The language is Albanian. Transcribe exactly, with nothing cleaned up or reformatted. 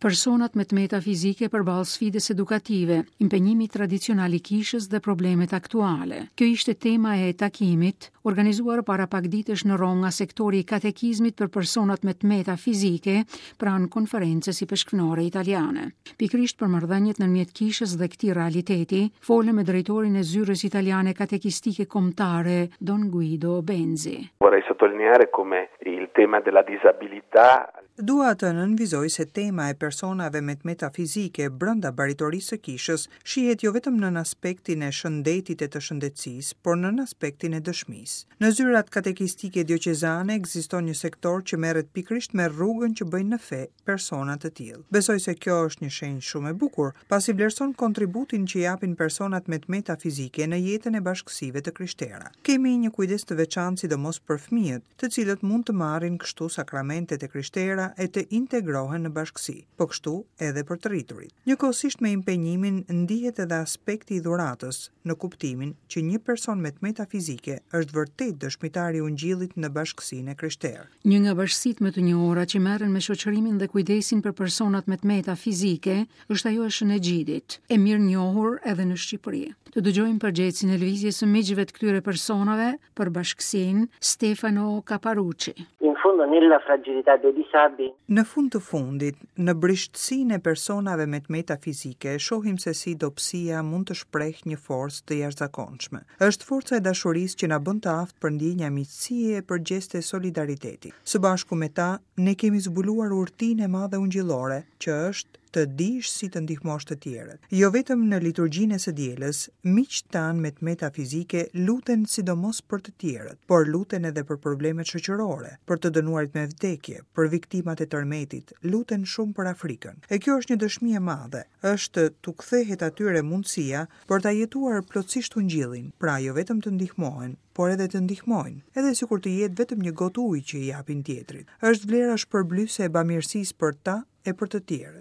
Personat me të meta fizike përballë sfidës edukative, impenjimi tradicional i kishës dhe problemet aktuale. Kjo ishte tema e takimit, organizuar para pak ditësh në Romë nga sektori i katekizmit për personat me të meta fizike pranë Konferencës Ipeshkvnore Italiane. Pikërisht për marrëdhëniet ndërmjet kishës dhe këtij realiteti, folëm me drejtorin e zyrës italiane katekistike kombëtare, Don Guido Benzi. Vorrei sottolineare come il tema della disabilità. Dua të nënvizoj se tema e personave me të meta fizike brenda baritorisë së kishës shihet jo vetëm në aspektin e shëndetit e të shëndetësisë, por në aspektin e dëshmisë. Në zyrat katekistike dioqezane ekziston një sektor që merret pikërisht me rrugën që bëjnë në fe persona të tillë. Besoj se kjo është një shenjë shumë e bukur, pasi vlerëson kontributin që japin personat me të meta fizike në jetën e bashkësive të krishtera. Kemi një kujdes të veçantë sidomos për fëmijët, të cilët mund të marrin kështu sakramentet e krishtera e të integrohen në bashkësi, po kështu edhe për të rriturit. Njëkohësisht me impenjimin ndihet edhe aspekti i dhuratës, në kuptimin që një person me të meta fizike është vërtet dëshmitar i ungjillit në bashkësinë e krishterë. Një nga bashkësitë më të njohura që merren me shoqërimin dhe kujdesin për personat me të meta fizike është ajo e Shën Egjidit, e mirë njohur edhe në Shqipëri. Të dëgjojmë përgjegjësin e lëvizjes së miqve të këtyre personave për bashkësinë, Stefano Caparucci. In fondo nella fragilità dei disabili. Në fund të fundit, në brishtësinë e personave me të meta fizike, shohim se si dobësia mund të shpreh një forcë të jashtëzakonshme. Është forca e dashurisë që na bën të aftë për ndjenja miqësie e për gjeste solidariteti. Së bashku me ta, ne kemi zbuluar urtinë e madhe ungjillore, që është të dish si të ndihmosh të tjerët. Jo vetëm në liturgjinë e së dielës, miqtë tanë me të meta fizike luten sidomos për të tjerët, por luten edhe për problemet shoqërore, për të dënuarit me vdekje, për viktimat e tërmetit, luten shumë për Afrikën. E kjo është një dëshmi e madhe, është t'u kthehet atyre mundësia për ta jetuar plotësisht ungjillin, pra jo vetëm të ndihmohen, por edhe të ndihmojnë, edhe sikur të jetë vetëm një gotë ujë që i japin tjetrit. Është vlera shpërblyese e bamirësisë për ta e për të tjerët.